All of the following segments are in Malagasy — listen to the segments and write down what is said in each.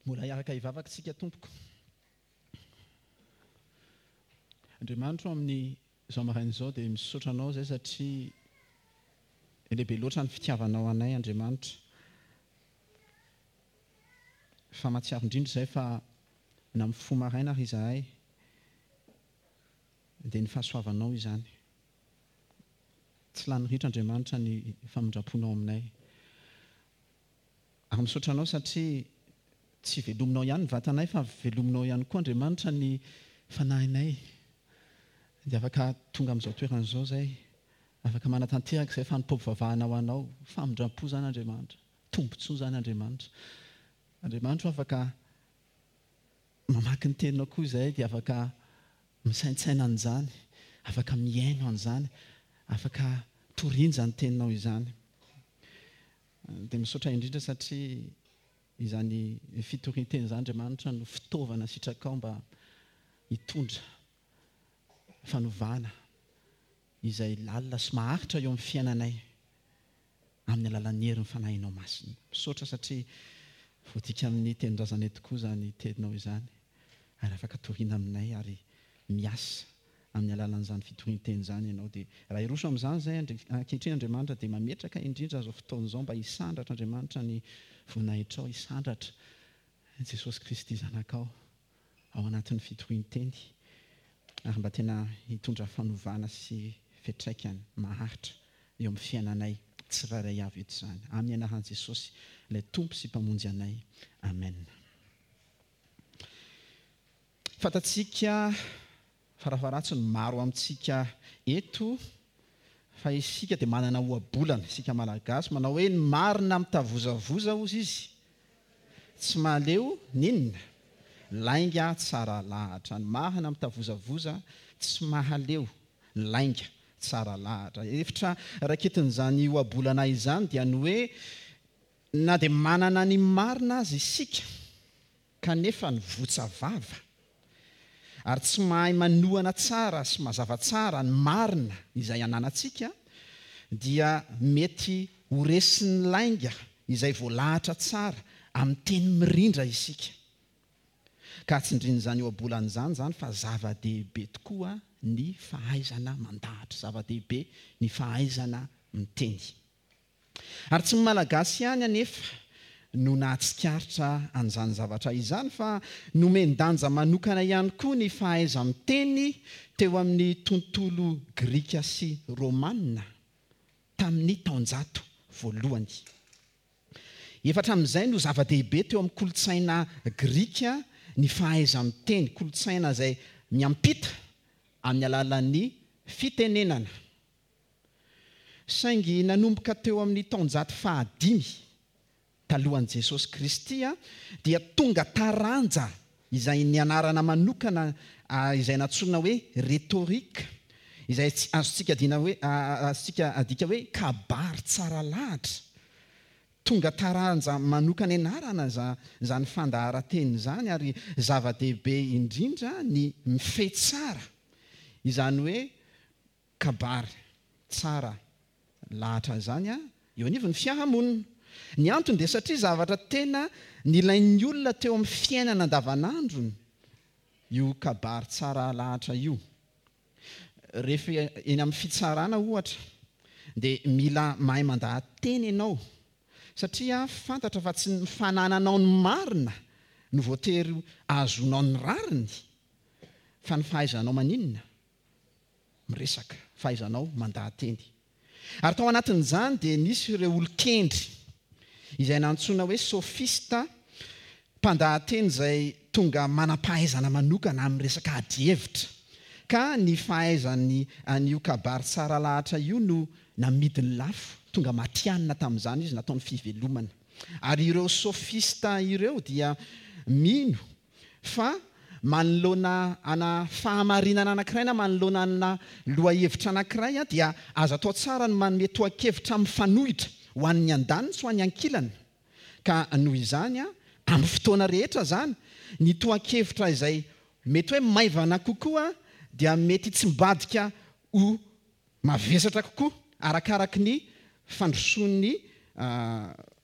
Mbola hiaraka hivavaka isika tompoko. Andriamanitro amin'ny izao maraina izao dia misaotra anao izay satria lehibe loatra ny fitiavanao anay Andriamanitra. Fa mahatsiaro indrindra izay fa na mifoha maraina ary izahay dia ny fahasoavanao izany. Tsy lany ritra Andriamanitra ny famindram-ponao aminay. Ary misaotra Anao satria tsy velominao ihany ny vatanay fa velominao ihany koa Andriamanitra ny fanahinay. Dia afaka tonga amin'izao toerana izao izay, afaka manatanteraka izay fanompoam-pivavahana ho Anao. Famindram-po izany Andriamanitra. Tombontsoa izany Andriamanitra. Andriamanitra o afaka mamaky ny teninao koa izahay dia afaka misaintsaina an'izany, afaka mihaino an'izany, afaka toriana izany teninao izany. Dia misaotra indrindra satria izany fitorian-teny izany Andriamanitra no fitaovana sitrakao mba hitondra fanovana izay lalina sy maharitra eo amin'ny fiainanay amin'ny alalan'ny herin'ny Fanahinao Masina. Misaotra satria voadika amin'ny tenin-drazanay tokoa izany teninao izany ary afaka toriana aminay ary miasa amin'ny alalan'izany fitorian-teny izany ianao. Dia raha hiroso amin'izany izay ankehitriny Andriamanitra dia mametraka indrindra izao fotoana izao mba hisandratra Andriamanitra ny voninahitrao, hisandratra Jesosy Kristy Zanakao ao anatin'ny fitorian-teny ary mba tena hitondra fanovana sy fiantraikany maharitra eo amin'ny fiainanay tsirairay avy eto izany. Amin'ny anaran'i Jesosy ilay Tompo sy Mpamonjy anay. Amen. Fantatsika farafaharatsiny ny maro amintsika eto fa isika dia manana ohabolana, isika Malagasy manao hoe ny marina mitavozavoza hozy izy tsy mahaleo n'inona, lainga tsara lahatra. Ny marina mitavozavoza tsy mahaleo lainga tsara lahatra. Hevitra raketin'izany ohabolana izany dia ny hoe na dia manana ny marina aza isika, kanefa ny votsa vava, ary tsy mahay manohana tsara sy mazava tsara ny marina izay ananantsika, dia mety ho resin'ny lainga izay voalahatra tsara amin'ny teny mirindra isika. Ka tsindrin'izany ohabolana izany izany fa zava-dehibe tokoa ny fahaizana mandahatra, zava-dehibe ny fahaizana miteny. Ary tsy ny Malagasy ihany anefa no nahatsikaritra an'izany zavatra izany fa nomen-danja manokana ihany koa ny fahaiza-miteny teo amin'ny tontolo grika sy romana tamin'ny taonjato voalohany. Efa hatramin'izay no zava-dehibe teo amin'ny kolontsaina grika ny fahaiza-miteny, kolontsaina izay miampita amin'ny alalan'ny fitenenana. Saingy nanomboka teo amin'ny taonjato fahadimy talohan'i Jesosy Kristy dia tonga taranja izay nianarana manokana izay nantsoina hoe rhétorique, izay azontsika adina hoe azontsika adika hoe kabary tsara lahatra. Tonga taranja manokana ianarana izany fandaharan-teny izany ary zava-dehibe indrindra ny mifehy tsara izany hoe kabary tsara lahatra izany eo anivon'ny fiarahamonina. Ny antony dia satria zavatra tena nilain'ny olona teo amin'ny fiainana andavanandrony io kabary tsara lahatra io. Rehefa eny amin'ny fitsarana ohatra dia mila mahay mandaha-teny ianao satria fantatra fa tsy ny fanananao ny marina no voatery ahazoanao ny rariny fa ny fahaizanao maninona? miresaka, fahaizanao mandaha-teny. Ary tao anatin'izany dia nisy ireo olon-kendry, izay nantsoina hoe sofista, mpandaha-teny izay tonga manam-pahaizana manokana amin'ny resaka adihevitra, ka ny fahaizany an'io kabary tsara lahatra io no namidiny lafo, tonga matihanina tamin'izany izy, nataony fivelomana. Ary ireo sofista ireo dia mino Fa manoloana ana fahamarinana anankiray na manoloana ana lohahevitra anankiray dia azo atao tsara ny manome tohan-kevitra mifanohitra ho an'ny andaniny sy ho an'ny ankilany. Ka noho izany, amin'ny fotoana rehetra izany, ny tohan-kevitra izay mety hoe maivana kokoa dia mety hitsimbadika ho mavesatra kokoa arakaraky ny fandrosoan'ny.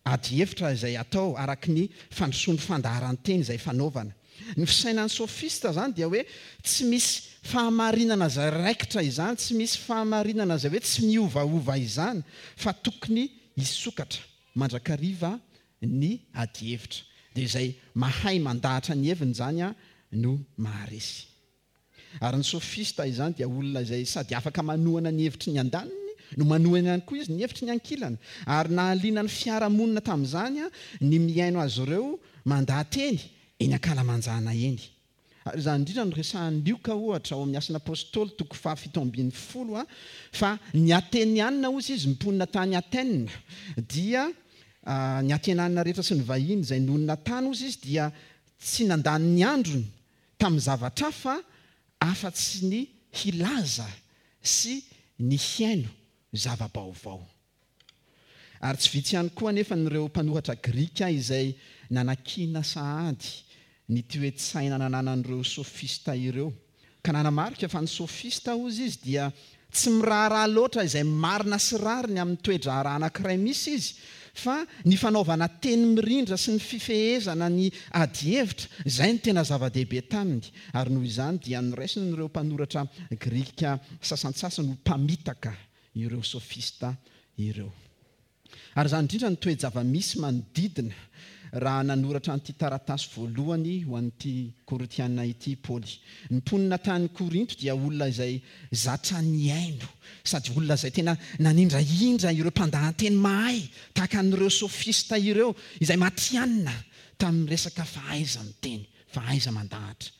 adihevitra izay atao araka ny fandrosoan'ny fandaharan-teny izay fanaovana. Ny fisainan'ny sofista izany dia hoe tsy misy fahamarinana izay raikitra izany, tsy misy fahamarinana izay hoe tsy miovaova izany fa tokony hisokatra mandrakariva ny adihevitra. Dia izay mahay mandahatra ny heviny izany no maharesy. Ary ny sofista izany dia olona izay sady afaka manohana ny hevitry ny andaniny no manohana ihany koa izy ny hevitry ny ankilany. Ary nahaliana ny fiarahamonina tamin'izany ny mihaino azy ireo mandaha-teny eny ankalamanjana eny. Ary izany indrindra no resahan'i Lioka ohatra ao amin'ny Asan'ny Apostoly toko faha-17 fa ny Atenianina hozy izy mponina tany Athènes dia ny Atenanina rehetra sy ny vahiny izay nonina tany hozy izy dia tsy nandany ny androny tamin'ny zavatra hafa afa-tsy ny hilaza sy ny hihaino zava-baovao. Ary tsy vitsy ihany koa anefa ireo mpanoratra grika izay nanakiana sahady ny toe-tsaina nananan'ireo sofista ireo, ka nanamarika fa ny sofista, hozy izy, dia Tsy miraharaha loatra izay marina sy rariny amin'ny toe-draharaha anankiray misy izy, fa ny fanaovana teny mirindra sy ny fifehezana ny adihevitra, izay no tena zava-dehibe taminy, ary noho izany dia noraisin'ireo mpanoratra grika sasantsasany ho mpamitaka ireo sofista ireo. Ary izany indrindra no toe-java-misy manodidina raha nanoratra an'ity taratasy voalohany ho an'ity Korintiana ity i Paoly. Ny mponina tany Korinto dia olona izay zatra nihaino, sady olona izay tena nanindrahindra ireo mpandahan-teny mahay tahaka an'ireo sofista ireo, izay matihanina tamin'ny resaka fahaiza-miteny, fahaiza-mandahatra.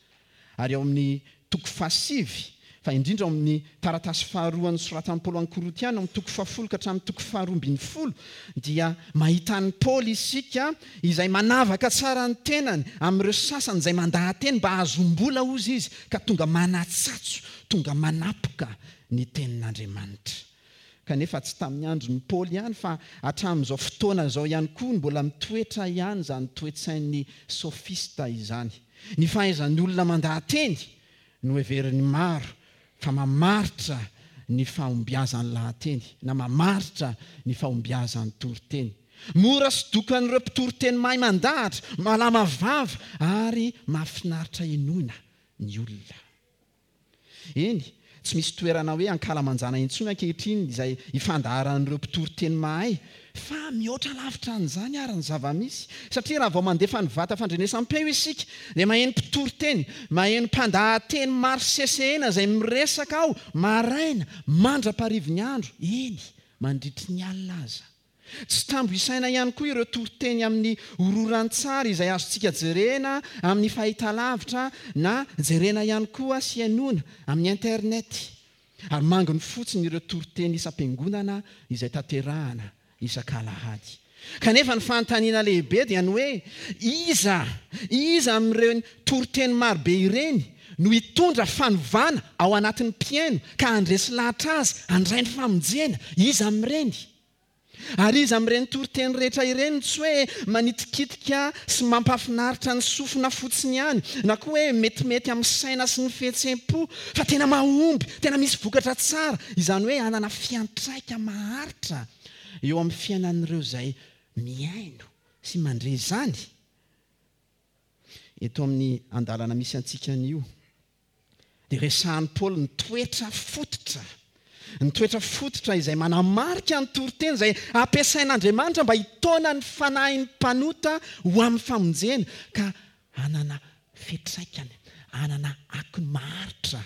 Ary ao amin'ny toko fahasivy, fa indrindra ao amin'ny taratasy faharoa nosoratan'i Paoly ho an'ny Korintiana, ao amin'ny toko fahafolo ka hatramin'ny toko faharoa ambin'ny folo, dia mahita an'i Paoly isika izay manavaka tsara ny tenany amin'ireo sasany izay mandaha-teny mba hahazoam-bola, hozy izy, ka tonga manatsatso, tonga manapoka ny tenin'Andriamanitra. Kanefa tsy tamin'ny andron'i Paoly ihany fa hatramin'izao fotoana izao ihany koa no mbola mitoetra ihany izany toe-tsain'ny sofista izany. Ny fahaizan'ny olona mandaha-teny no heverin'ny maro fa mamaritra ny fahombiazan'ny lahateny na mamaritra ny fahombiazan'ny toriteny. Mora sodokan'ireo mpitoriteny mahay mandahatra, malama vava ary mahafinaritra henoina ny olona. Eny, tsy misy toerana hoe ankalamanjana intsony ankehitriny izay ifandaharan'ireo mpitory teny mahay, fa mihoatra lavitra an'izany ary ny zava-misy. Satria raha vao mandefa ny vata fandrenesam-peo isika, dia maheno mpitory teny, maheno mpandahateny maro sesehena izay miresaka ao maraina mandra-paharivin'ny andro, eny, mandritry ny alina aza. Tsy tambo isaina ihany koa ireo toriteny amin'ny hororan-tsary izay azontsika jerena amin'ny fahitalavitra na jerena ihany koa sy henoina amin'ny internet. Ary manginy fotsiny ireo toriteny isam-piangonana izay tanterahana isak'alahady. Kanefa ny fanontaniana lehibe dia ny hoe, iza, iza amin'ireny toriteny marobe ireny no hitondra fanovana ao anatin'ny mpihaino ka handresy lahatra azy handray ny famonjena? Iza amin'ireny? Ary iza amin'ireny toriteny rehetra ireny no tsy hoe manitikitika sy mampahafinaritra ny sofina fotsiny ihany, na koa hoe metimety amin'ny saina sy ny fihetseham-po, fa tena mahomby, tena misy vokatra tsara, izany hoe hanana fiantraika maharitra eo amin'ny fiainan'ireo izay mihaino sy mandre izany? Eto amin'ny andalana misy antsika anio, dia resahan'i Paoly ny toetra fototra, ny toetra fototra izay manamarika ny toriteny izay ampiasain'Andriamanitra mba hitaona ny fanahin'ny mpanota ho amin'ny famonjena ka hanana fiantraikany, hanana akony maharitra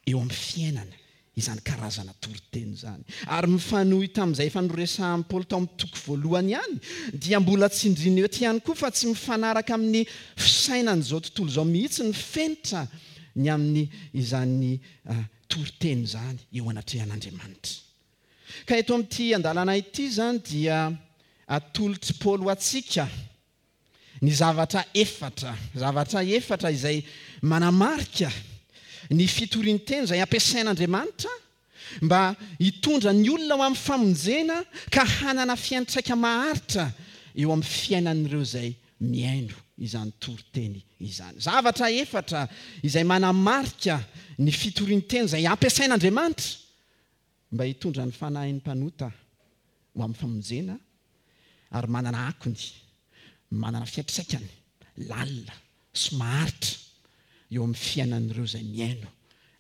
eo amin'ny fiainana izany karazana toriteny izany. Ary mifanohy tamin'izay efa noresahan'i Paoly tao amin'ny toko voalohany ihany, dia mbola tsindriana eto ihany koa fa tsy mifanaraka amin'ny fisainan'izao tontolo izao mihitsy ny fenitra ny amin'ny izany toriteny izany eo anatrehan'Andriamanitra. Ka eto amin'ity andalana ity izany dia atolotr'i Paoly ho antsika ny zavatra efatra, zavatra efatra izay manamarika ny fitorian-teny izay ampiasain'Andriamanitra mba hitondra ny olona ho amin'ny famonjena ka hanana fiantraika maharitra eo amin'ny fiainan'ireo izay mihaino izany toriteny izany. Zavatra efatra izay manamarika ny fitorian-teny izay ampiasain'Andriamanitra mba hitondra ny fanahin'ny mpanota ho amin'ny famonjena. ary manana akony, manana fiantraikany lalina sy maharitra eo amin'ny fiainan'ireo izay mihaino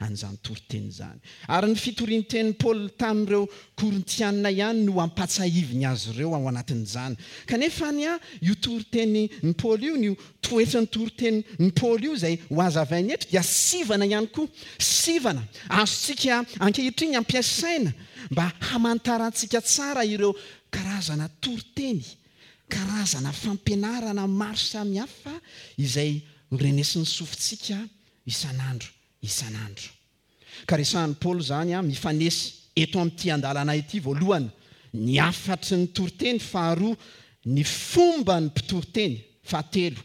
an'izany toriteny izany. Ary ny fitorian-tenin'i Paoly tamin'ireo Korintiana ihany no ampatsahiviny azy ireo ao anatin'izany. Kanefa anie io toritenin'i Paoly io, io toetran'ny toritenin'i Paoly io izay hohazavainy eto dia sivana ihany koa. Sivana azontsika ankehitriny ampiasaina mba hamantarantsika tsara ireo karazana toriteny, karazana fampianarana maro samihafa izay horenesin'ny sofintsika isan'andro isan'andro. Ka resahin'i Paoly izany mifanesy eto amin'ity andalana ity, voalohany, ny hafatry ny toriteny, faharoa, ny fomban'ny mpitoriteny, fahatelo,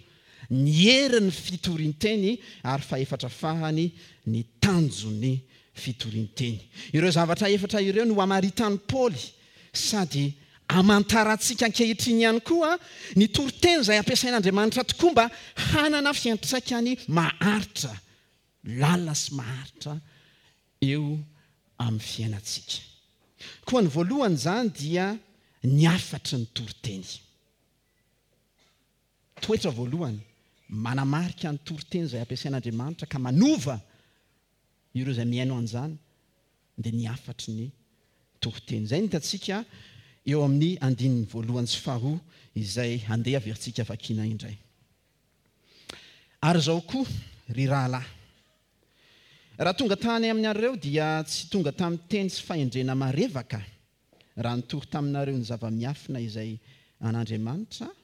ny herin'ny fitorian-teny, ary fahefatra farany, ny tanjon'ny fitorian-teny. Ireo zavatra efatra ireo no hamaritan'i Paoly sady amantarantsika ankehitriny ihany koa ny toriteny izay ampiasain'Andriamanitra tokoa mba hanana fiantraikany maharitra, lalina sy maharitra eo amin'ny fiainantsika. Koa ny voalohany izany dia ny hafatry ny toriteny. Toetra voalohany manamarika ny toriteny izay ampiasain'Andriamanitra ka manova ireo izay mihaino an'izany dia ny hafatry ny toriteny. Izay no hitantsika eo amin'ny andininy voalohany sy faharoa izay handeha averintsika vakiana indray. Ary izao koa, ry rahalahy, raha tonga tany aminareo dia tsy tonga tamin'ny teny sy fahendrena marevaka raha nitory taminareo ny zava-miafina izay an'Andriamanitra aho,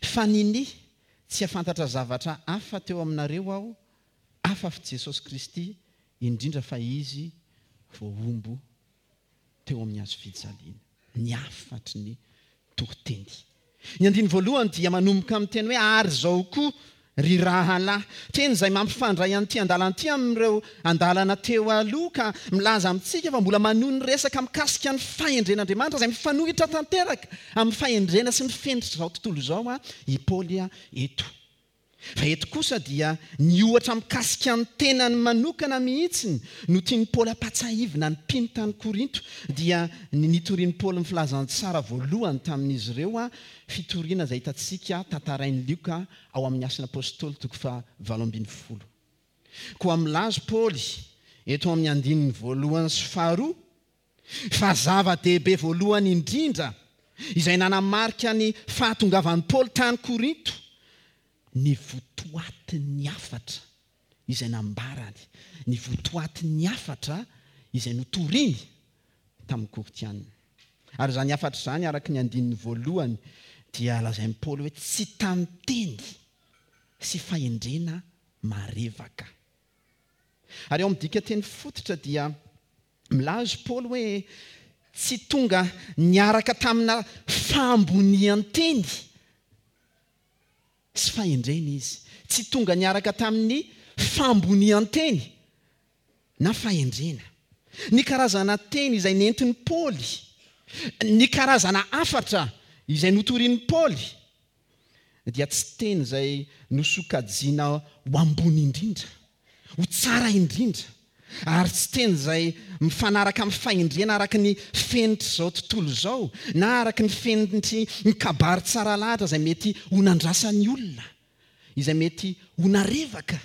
Fa ninia tsy hafantatra zavatra hafa teo aminareo aho afa-fy Jesosy Kristy, indrindra fa Izy voahombo teo amin'ny hazo fijaliana. Ny hafatry ny toriteny. Ny andininy voalohany dia manomboka amin'ny teny hoe ary izao koa Ry rahalahy, teny izay mampifandray an'ity andalana ity amin'ireo andalana teo aloha ka milaza amintsika fa mbola manohy ny resaka mikasika ny fahendren'Andriamanitra izay mifanohitra tanteraka amin'ny fahendrena sy ny fenitr'izao tontolo izao i Paoly eto. Fa eto kosa dia ny ohatra mikasika ny tenany manokana mihitsy no tian'i Paoly hampatsahivina ny mpino tany Korinto, dia ny nitorian'i Paoly ny filazantsara voalohany tamin'izy ireo, fitoriana izay hitantsika tantarain'i Lioka ao amin'ny Asan'ny Apostoly toko faha 18. Koa milaza Paoly eto amin'ny andininy voalohany sy faharoa fa zava-dehibe voalohany indrindra izay nanamarika ny fahatongavan'i Paoly tany Korinto ny votoatin'ny hafatra izay nambarany, ny votoatin'ny hafatra izay notoriny tamin'ny Korintiana. Ary izany hafatra izany, araka ny andininy voalohany, dia lazain'i Paoly hoe tsy tamin'ny teny sy fahendrena marevaka. Ary ao amin'ny dikanteny fototra dia milaza i Paoly hoe tsy tonga niaraka tamina fahambonian-teny sy fahendrena izy. Tsy tonga niaraka tamin'ny fahambonian-teny na fahendrena. Ny karazana teny izay nentin'i Paoly, ny karazana hafatra izay notorian'i Paoly, dia tsy teny izay nosokajiana ho ambony indrindra, ho tsara indrindra, ary tsy teny izay mifanaraka amin'ny fahendrena araka ny fenitr'izao tontolo izao, na araka ny fenitry ny kabary tsara lahatra izay mety ho nandrasan'ny olona, izay mety ho narevaka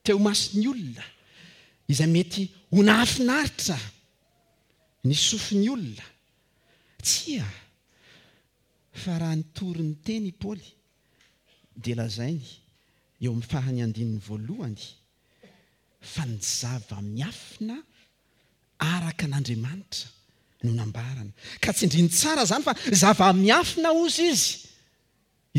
teo imason'ny olona, izay mety ho nahafinaritra ny sofin'ny olona. Tsia, fa raha nitory ny teny i Paoly, dia lazainy eo amin'ny faran'ny andininy voalohany fa ny zava-miafina araka an'Andriamanitra no nambarany. Ka tsindriny tsara izany fa zava-miafina hozy izy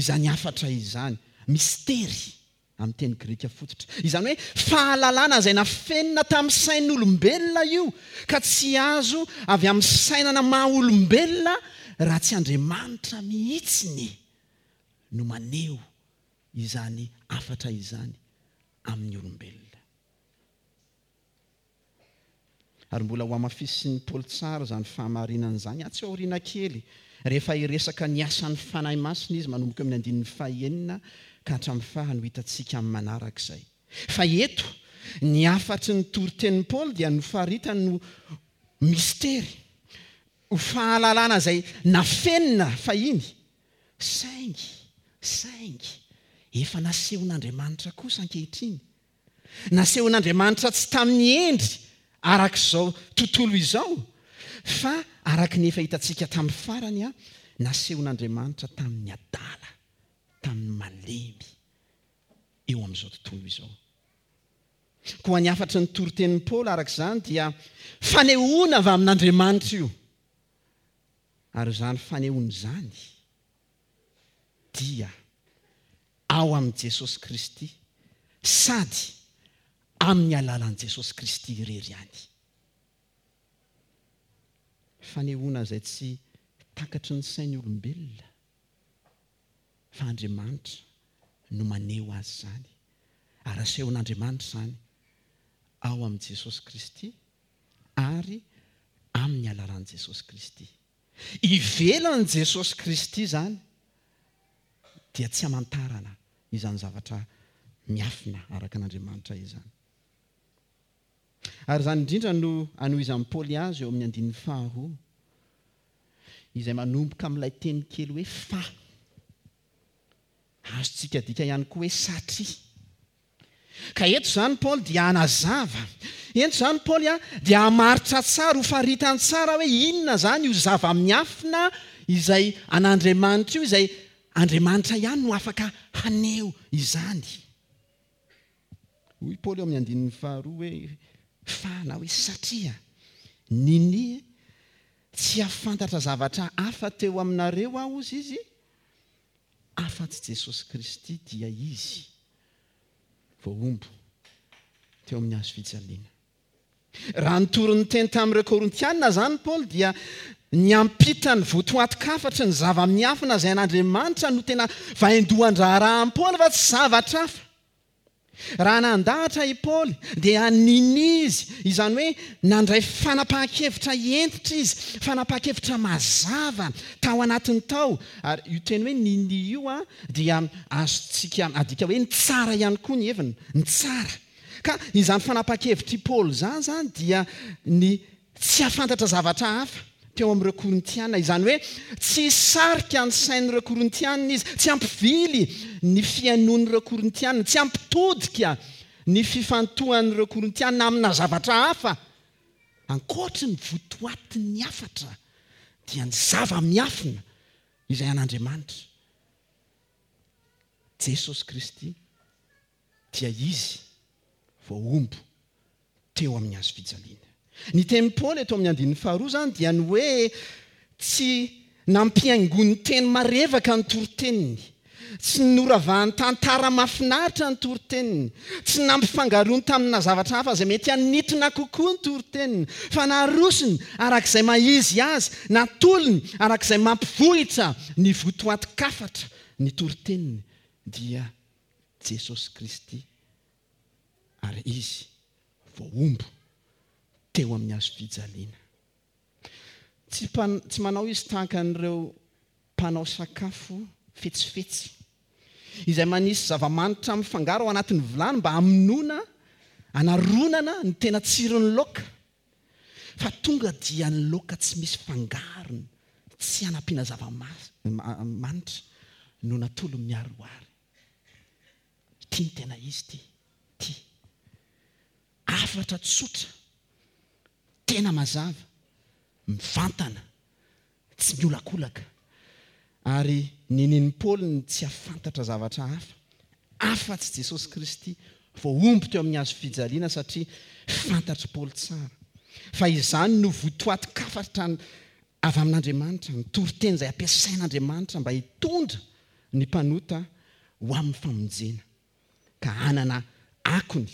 izany hafatra izany, mistery amin'ny teny grika fototra. Izany hoe fahalalana izay nafenina tamin'ny sain'olombelona io ka tsy azo avy amin'ny sainana maha olombelona raha tsy Andriamanitra mihitsiny no maneho izany hafatra izany amin'ny olombelona. Ary mbola hohamafisin'i Paoly tsara izany fahamarinana izany atsy aoriana kely, rehefa hiresaka ny asan'ny Fanahy Masina izy manomboka eo amin'ny andininy fahenina ka hatramin'ny farany ho hitantsika amin'ny manaraka izay. Fa eto, ny hafatry ny toritenin'i Paoly dia nofaritany ho mistery. Ho fahalalana izay nafenina fahiny, saingy, saingy, efa nasehon'Andriamanitra kosa ankehitriny. Nasehon'Andriamanitra tsy tamin'ny endry araka izao tontolo izao, fa araka ny efa hitantsika tamin'ny farany, nasehon'Andriamanitra tamin'ny adala, tamin'ny malemy eo amin'izao tontolo izao. Koa ny hafatry ny toritenin'i Paoly araka izany dia fanehoana avy amin'Andriamanitra io. Ary izany fanehoana izany dia ao amin'i Jesosy Kristy sady amin'ny alalan'i Jesosy Kristy irery ihany. Fanehoana izay tsy takatry ny sain'ny olombelona fa Andriamanitra no maneho azy izany ary asehon'Andriamanitra izany ao amin'i Jesosy Kristy ary amin'ny alalan'i Jesosy Kristy. Ivelan'i Jesosy Kristy izany dia tsy hamantarana izany zavatra miafina araka an'Andriamanitra izany. Ary izany indrindra no anohizan'i Paoly azy eo amin'ny andininy faharoa, izay manomboka amin'ilay teny kely hoe fa. Azontsika adika ihany koa hoe satria. Ka eto izany Paoly dia hanazava, eto izany Paoly dia hamaritra tsara, ho faritany tsara hoe inona izany io zava-miafina izay an'Andriamanitra io, izay Andriamanitra ihany no afaka haneho izany. Hoy Paoly eo amin'ny andininy faharoa hoe, Fa na hoe satria ninia tsy hahafantatra zavatra hafa teo aminareo aho, hozy izy, afa-tsy Jesosy Kristy, dia Izy voahombo teo amin'ny hazo fijaliana. Raha nitory ny teny tamin'ireo Korintiana izany Paoly dia niampita ny votoatin-kafatry ny zava-miafina izay an'Andriamanitra no tena vaindohan-draharahan'i Paoly fa tsy zavatra hafa. Raha nandahatra i Paoly dia ninia izy, izany hoe nandray fanapahan-kevitra hentitra izy, fanapahan-kevitra mazava tao anatiny tao. Ary io teny hoe ninia io dia azontsika adika hoe nitsara ihany koa ny heviny, nitsara. Ka izany fanapahan-kevitr'i Paoly izany izany dia ny tsy hahafantatra zavatra hafa teo amin'ireo Korintiana, izany hoe tsy hisarika ny sain'ireo Korintiana izy, tsy hampivily ny fihainoan'ireo Korintiana, tsy hampitodika ny fifantohan'ireo Korintiana amina zavatra hafa ankoatry ny votoatin'ny hafatra, dia ny zava-miafina izay an'Andriamanitra, Jesosy Kristy. dia izy voahombo teo amin'ny hazo fijaliana. Ny tenin'i Paoly eto amin'ny andininy faharoa izany dia ny hoe tsy nampihaingoany teny marevaka ny toriteniny, tsy noravahany tantara mahafinaritra ny toriteniny, tsy nampifangaroany tamina zavatra hafa izay mety hanintona kokoa ny toriteniny, fa narosony araka izay maha izy azy, natolony araka izay mampivohitra ny votoatin-kafatra ny toriteniny, dia Jesosy Kristy ary Izy voahombo teo amin'ny hazo fijaliana. Tsy tsy manao Izy tahaka an'ireo mpanao sakafo fetsifetsy, izay manisy zava-manitra mifangaro ao anatin'ny vilany mba hamonoana, hanaronana ny tena tsiron'ny laoka, fa tonga dia ny laoka tsy misy fangarony, tsy hanampiana zava-manitra no natolony miharihary. Ity no tena izy ity. Ity. Hafatra tsotra, tena mazava, mivantana, tsy miolakolaka. Ary ninian'i Paoly ny tsy hahafantatra zavatra hafa, afa-tsy Jesosy Kristy voahombo teo amin'ny hazo fijaliana satria fantatr'i Paoly tsara fa izany no votoatin-kafatra avy amin'Andriamanitra, ny toriteny izay ampiasain'Andriamanitra mba hitondra ny mpanota ho amin'ny famonjena, ka hanana akony,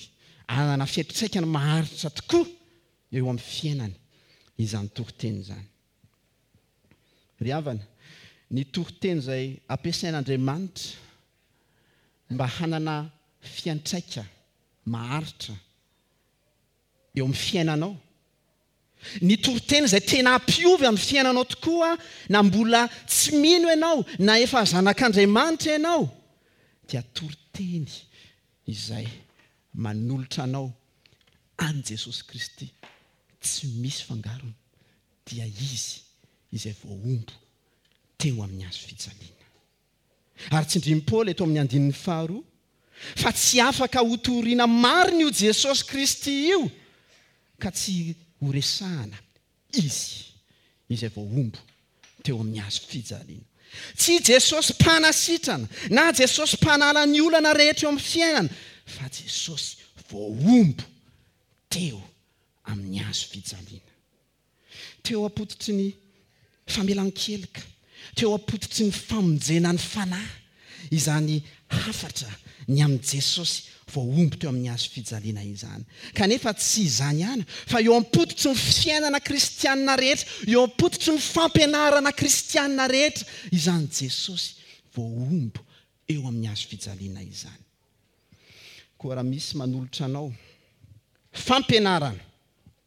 hanana fiantraikany maharitra tokoa eo amin'ny fiainany izany toriteny izany. Ry havana, ny toriteny izay ampiasain'Andriamanitra mba hanana fiantraika maharitra eo amin'ny fiainanao, Ny toriteny izay tena hampiovy amin'ny fiainanao tokoa na mbola tsy mino ianao na efa zanak'Andriamanitra ianao dia toriteny izay manolotra anao an'i Jesosy Kristy tsy misy fangarony dia Izy. izay voahombo teo amin'ny hazo fijaliana. Ary tsindrin'i Paoly eto amin'ny andininy faharoa fa tsy afaka hotorina marina io Jesosy Kristy io ka tsy horesahana Izy izay voahombo teo amin'ny hazo fijaliana. Tsy Jesosy mpanasitrana na Jesosy mpanala ny olana rehetra eo amin'ny fiainana fa Jesosy voahombo teo amin'ny hazo fijaliana. Teo am-pototry ny famelan-keloka, teo am-pototry ny famonjena ny fanahy, izany hafatra ny amin'i Jesosy voahombo teo amin'ny hazo fijaliana izany. Kanefa tsy izany ihany, fa eo am-pototry ny fiainana kristianina rehetra, eo am-pototry ny fampianarana kristianina rehetra, izany Jesosy voahombo eo amin'ny hazo fijaliana izany. Koa raha misy manolotra anao fampianarana,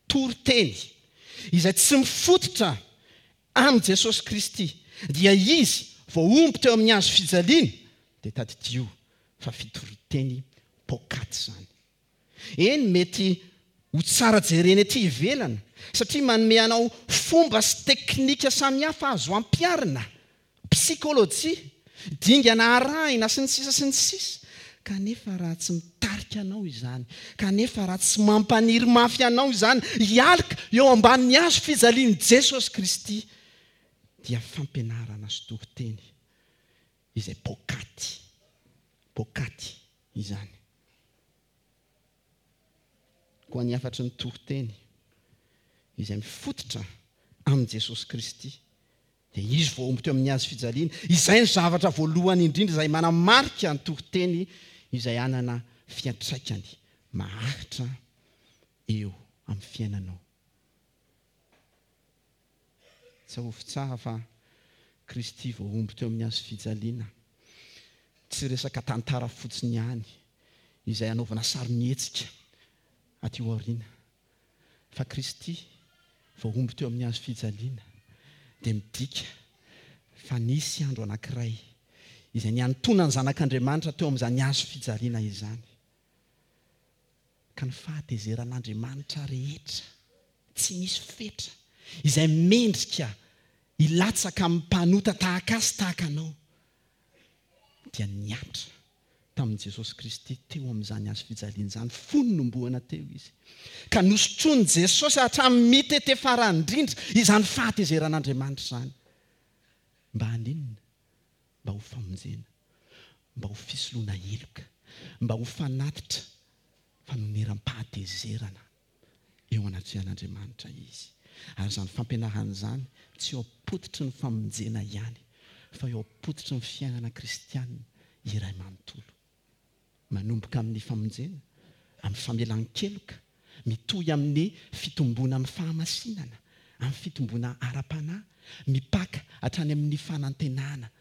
toriteny izay tsy mifototra amin'i Jesosy Kristy, dia Izy voahombo teo amin'ny hazo fijaliana, dia tadidio fa fitoriteny poakaty izany. Eny, mety ho tsara jerena ety ivelany, satria manome anao fomba sy teknika samihafa azo ampiharina Psikôlôjia, dingana arahina, sy ny sisa sy ny sisa Kanefa raha tsy mitarika anao izany, kanefa raha tsy mampaniry mafy anao izany hialika eo ambanin'ny hazo fijalian'i Jesosy Kristy, dia fampianarana sy toriteny izay poakaty, poakaty izany. Koa ny hafatry ny toriteny izay mifototra amin'i Jesosy Kristy dia Izy voahombo teo amin'ny hazo fijaliana. Izay no zavatra voalohany indrindra izay manamarika ny toriteny izay hanana fiantraikany maharitra eo amin'ny fiainanao. Tsarovy tsara fa Kristy voahombo teo amin'ny hazo fijaliana. Tsy resaka tantara fotsiny ihany izay hanaovana sarimihetsika aty aoriana. Fa Kristy voahombo teo amin'ny hazo fijaliana dia midika fa nisy andro anankiray izay niantonan'ny Zanak'Andriamanitra teo amin'izany hazo fijaliana izany. Ka ny fahatezeran'Andriamanitra rehetra tsy misy fetra izay mendrika hilatsaka amin'ny mpanota tahaka ahy sy tahaka anao dia nihatra tamin'i Jesosy Kristy teo amin'izany hazo fijaliana izany fony nombohana teo Izy. Ka nosotroin'i Jesosy hatramin'ny mitete farany indrindra izany fahatezeran'Andriamanitra izany. Mba haninona? Mba ho famonjena, mba ho fisoloana heloka, mba ho fanatitra fanoneram-pahatezerana. eo anatrehan'Andriamanitra izy. Ary izany fampianarana izany tsy eo am-pototry ny famonjena ihany, fa eo am-pototry ny fiainana kristiana iray manontolo. Manomboka amin'ny famonjena, amin'ny famelan-keloka, mitohy amin'ny fitomboana amin'ny fahamasinana, amin'ny fitomboana ara-panahy, mipaka hatrany amin'ny fanantenana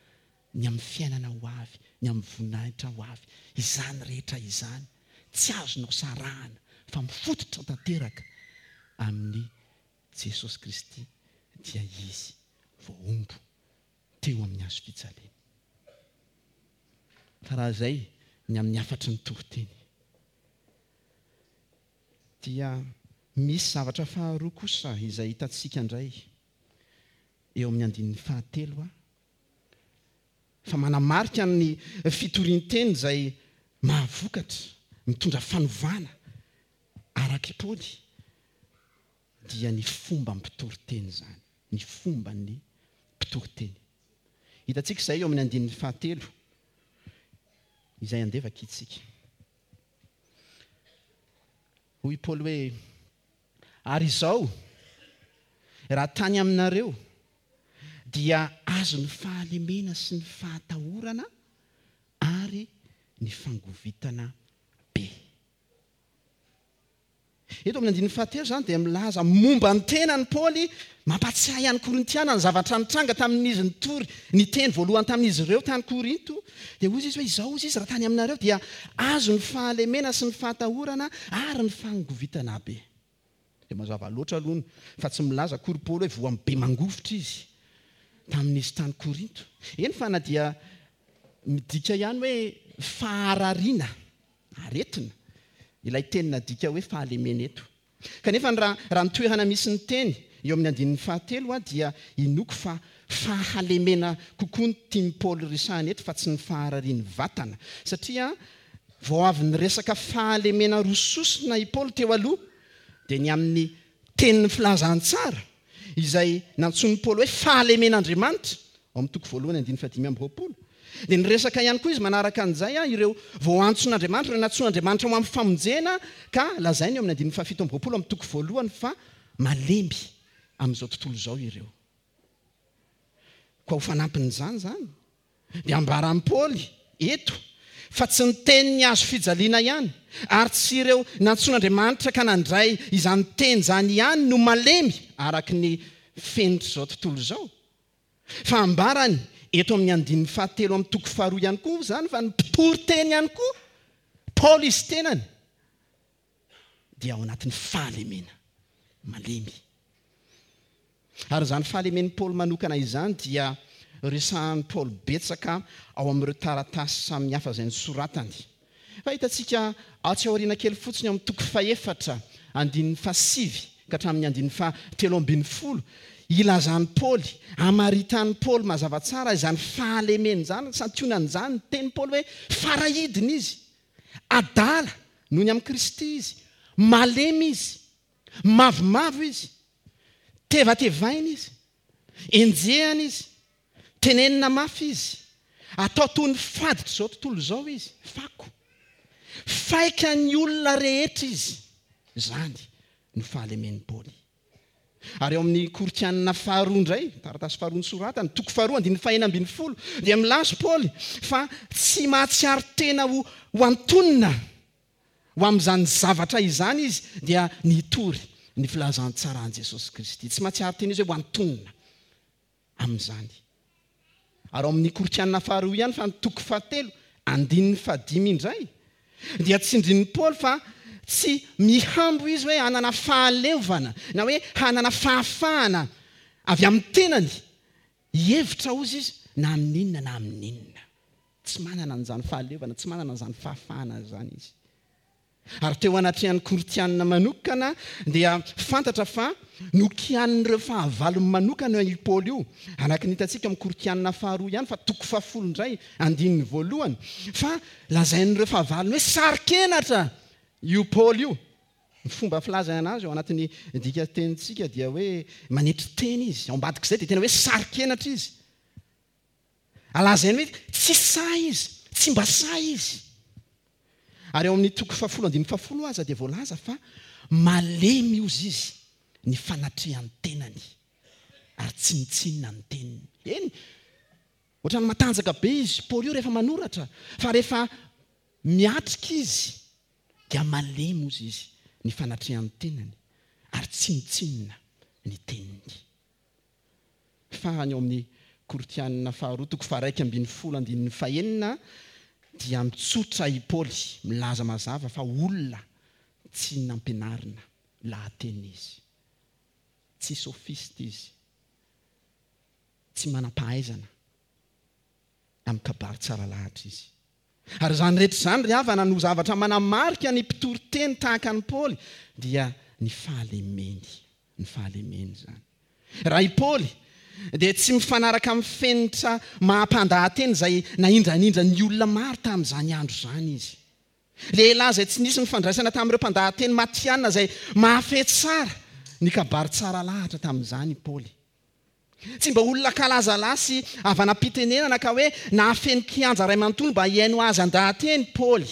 ny amin'ny fiainana ho avy, ny amin'ny voninahitra ho avy. Izany rehetra izany tsy azonao sarahana fa mifototra tanteraka amin'i Jesosy Kristy dia Izy voahombo teo amin'ny hazo fijaliana. Fa raha izay ny amin'ny hafatry ny toriteny dia misy zavatra faharoa kosa izay hitantsika indray eo amin'ny andininy fahatelo fa manamarika ny fitorian-teny izay mahavokatra, mitondra fanovana, araka i Paoly, dia ny fomba mpitoriteny izany, ny fomban'ny mpitoriteny. Hitantsika izay eo amin'ny andininy fahatelo, izay andeha vakintsika. Hoy i Paoly hoe, Ary izao, raha tany aminareo, dia azon'ny fahalemena sy ny fahatahorana ary ny fangovitana be. Eto amin'ny andininy fahatelo izany dia milaza momba ny tenany Paoly, mampahatsiahy an'ny Korintiana ny zavatra nitranga tamin'izy nitory ny teny voalohany tamin'izy ireo tany Korinto. Dia hoy izy hoe, Izao hozy izy, raha tany aminareo dia azon'ny fahalemena sy ny fahatahorana ary ny fangovitana be. Dia mazava loatra aloha fa tsy milaza akory Paoly hoe voan'ny be mangovitra izy tamin'izy tany Korinto. Eny fa na dia midika ihany hoe faharariana, aretina, ilay teny nadika hoe fahalemena eto. Kanefa raha raha ny toerana misy ny teny eo amin'ny andininy fahatelo dia inoako fa fahalemena kokoa no tian'i Paoly resahina eto fa tsy ny fahararian'ny vatana. Satria vao avy niresaka fahalemena roa sosona i Paoly teo aloha, dia ny amin'ny tenin'ny filazantsara, izay nantsoin'i Paoly hoe fahalemen'Andriamanitra, ao amin'ny toko voalohany andininy fahadimy amby 20. Dia niresaka ihany koa izy manaraka an'izay ireo voaantson'Andriamanitra, ireo nantsoin'Andriamanitra ho amin'ny famonjena, ka lazainy eo amin'ny andininy fahafito amby 20 amin'ny toko voalohany fa malemy amin'izao tontolo izao ireo. Koa ho fanampin'izany izany, dia ambaran'i Paoly eto fa tsy ny tenin'ny hazo fijaliana ihany, ary tsy ireo nantsoin'Andriamanitra ka nandray izany teny izany ihany no malemy araka ny fenitr'izao tontolo izao, fa ambarany eto amin'ny andininy fahatelo amin'ny toko faharoa ihany koa izany fa ny mpitory teny ihany koa, Paoly izy tenany, dia ao anatin'ny fahalemena, malemy. Ary izany fahalemen'i Paoly manokana izany dia resahan'i Paoly betsaka ao amin'ireo taratasy samihafa izay nosoratany. Fa hitantsika atsy aoriana kely fotsiny ao amin'ny toko fahefatra, andininy fahasivy ka hatramin'ny andininy fahatelo 13, ilazan'i Paoly, amaritan'i Paoly mazava tsara izany fahalemena izany, santionan'izany ny tenin'i Paoly hoe farahidiny izy. Adala noho ny amin'i Kristy izy, malemy izy, mavomavo izy, tevatevaina izy, enjehana izy, tenenina mafy izy, atao toy ny faditr'izao tontolo izao izy, fako. Faikan'ny olona rehetra izy. Izany no fahalemen'i Paoly. Ary ao amin'ny Korintianina faharoa indray, taratasy faharoa nosoratany, toko faharoa, andininy fahenina 16, dia milaza Paoly fa tsy mahatsiaro tena ho ho antonona ho amin'izany zavatra izany izy, dia ny hitory ny filazantsaran'i Jesosy Kristy. Tsy mahatsiaro tena izy hoe ho antonona amin'izany. Ary ao amin'ny Korintiana faharoa ihany fa ny toko fahatelo, andininy fahadimy indray, dia tsindrin'i Paoly fa tsy mihambo izy hoe hanana fahaleovana na hoe hanana fahafahana avy amin'ny tenany hihevitra hozy izy na amin'inona na amin'inona. Tsy manana an'izany fahaleovana, tsy manana an'izany fahafahana izany izy. Ary teo anatrehan'ny Korintianina manokana dia fantatra fa nokianin'ireo fahavalony manokana io Paoly io, araka ny hitantsika ao amin'ny Korintianina faharoa ihany fa toko fahafolo indray, andininy voalohany, fa lazain'ireo fahavalony hoe saro-kenatra io Paoly io. Ny fomba filazana azy ao anatin'ny dikan-tenintsika dia hoe manetry tena izy, ao ambadik'izay dia tena hoe saro-kenatra izy. Lazainy hoe tsy sahy izy, tsy mba sahy izy. Ary ao amin'ny toko fahafolo andininy fahafolo aza dia voalaza fa malemy ozy izy ny fanatrehan'ny tenany ary tsinontsinona ny teniny. Eny, ohatran'ny matanjaka be izy Paoly io rehefa manoratra, fa rehefa miatrika izy dia malemy ozy izy ny fanatrehan'ny tenany ary tsinontsinona ny teniny. Farany ao amin'ny Korintianina faharoa toko faha-11 andininy fahenina dia mitsotra i Paoly milaza mazava fa olona tsy nampianarina lahateny izy. Tsy sofista izy. Tsy manam-pahaizana amin'ny kabary tsara lahatra izy. Ary izany rehetra izany ry havana no zavatra manamarika ny mpitory teny tahaka an'i Paoly dia ny fahalemeny. Ny fahalemeny izany. Raha i Paoly dia tsy mifanaraka amin'ny fenitra maha-mpandahateny izay nahindranindra ny olona maro tamin'izany andro izany izy. Lehilahy izay tsy nisy nifandraisana tamin'ireo mpandahateny matihanina izay mahafehy tsara ny kabary tsara lahatra tamin'izany i Paoly. Tsy mba olona kalazalahy sy havanam-pitenenana ka hoe nahafeno kianja iray manontolo mba hihaino azy handaha-teny Paoly.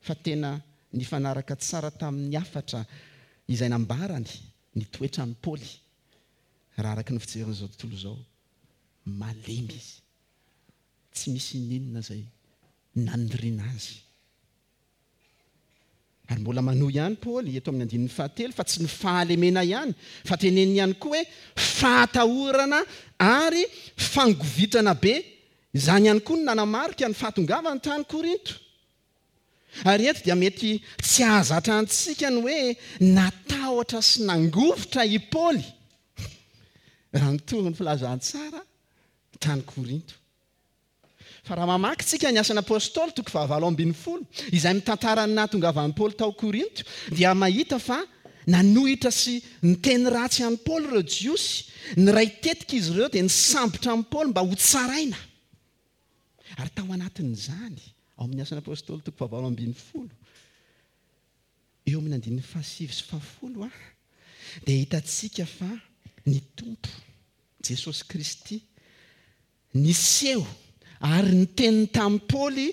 Fa tena nifanaraka tsara tamin'ny hafatra izay nambarany ny toetran'i Paoly, raha araka ny fijerin'izao tontolo izao. Malemy izy. Tsy misy ininona izay naniriana azy. Ary mbola manohy ihany Paoly eto amin'ny andininy fahatelo fa tsy ny fahalemena ihany fa teneniny ihany koa hoe fahatahorana ary fangovitana be, izany ihany koa no nanamarika ny fahatongavany tany Korinto. Ary eto dia mety tsy hahazatra antsika ny hoe natahotra sy nangovitra i Paoly raha nitory ny filazantsara tany Korinto. Fa raha mamaky tsika ny Asan'ny Apostoly, toko fahavalo 18, izay mitantara ny nahatongavan'i Paoly tao Korinto, dia mahita fa Nanohitra sy niteny ratsy an'i Paoly ireo Jiosy. Niray tetika izy ireo dia nisambotra an'i Paoly mba hotsaraina. Ary tao anatin'izany, ao amin'ny Asan'ny Apostoly toko fahavalo ambinifolo, eo amin'ny andininy fahasivy sy fahafolo, dia hitantsika fa ny Tompo, Jesosy Kristy, niseho ary niteny tamin'i Paoly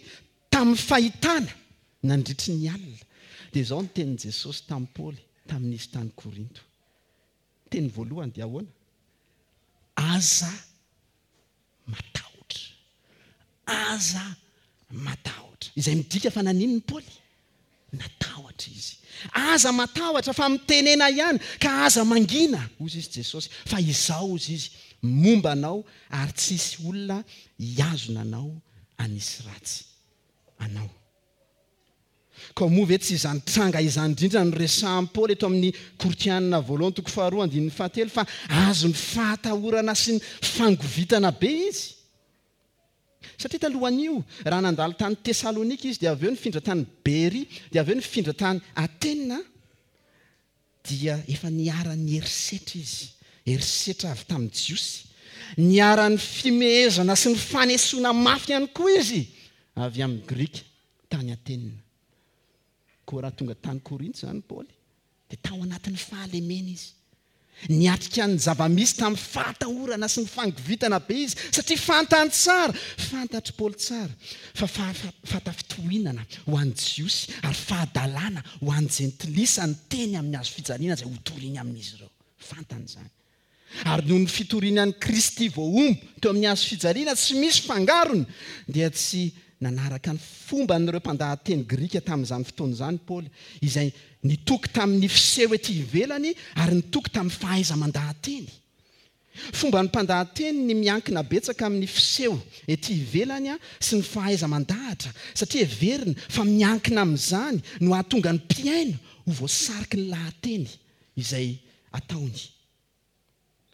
tamin'ny fahitana nandritry ny alina. Dia izao ny tenin'i Jesosy tamin'i Paoly tamin'izy tany Korinto. Teny voalohany dia ahoana? Aza matahotra. Aza matahotra. Izay midika fa naninona Paoly? Natahotra izy. Aza matahotra fa mitenena ihany ka aza mangina, hozy izy Jesosy, fa Izaho, hozy Izy, momba anao ary tsy hisy olona hihazona anao hanisy ratsy anao. Koa moa ve tsy izany tranga izany indrindra no resahin'i Paoly eto amin'ny Korintiana voalohany toko faharoa andininy fahatelo fa azon'ny fahatahorana sy ny fangovitana be izy? Satria talohan'io, raha nandalo tany Tesalonika izy, dia avy eo nifindra tany Beria, dia avy eo nifindra tany Atena, dia efa niharan'ny herisetra izy, herisetra avy tamin'ny Jiosy. Niharan'ny fimehezana sy ny fanesoana mafy ihany koa izy avy amin'ny Grika tany Atena. Koa raha tonga tany Korinto izany Paoly, dia tao anatin'ny fahalemena izy. Niatrika ny zava-misy tamin'ny fahatahorana sy ny fangovitana be izy, satria fantany tsara, fantatr'i Paoly tsara, fa fahatafitohinana ho an'ny Jiosy ary fahadalana ho an'ny Jentilisa ny teny amin'ny hazo fijaliana izay hotoriny amin'izy ireo. Fantany izany. Ary noho ny fitoriany an'i Kristy voahombo teo amin'ny hazo fijaliana tsy misy fangarony, dia tsy nanaraka ny fomban'ireo mpandahateny grika tamin'izany fotoana izany Paoly, izay nitoky tamin'ny fiseho ety ivelany ary nitoky tamin'ny fahaiza-mandahateny. Fomban'ny mpandahateny ny miankina betsaka amin'ny fiseho ety ivelany sy ny fahaiza-mandahatra, satria heveriny fa miankina amin'izany no hahatonga ny mpihaino ho voasariky ny lahateny izay ataony.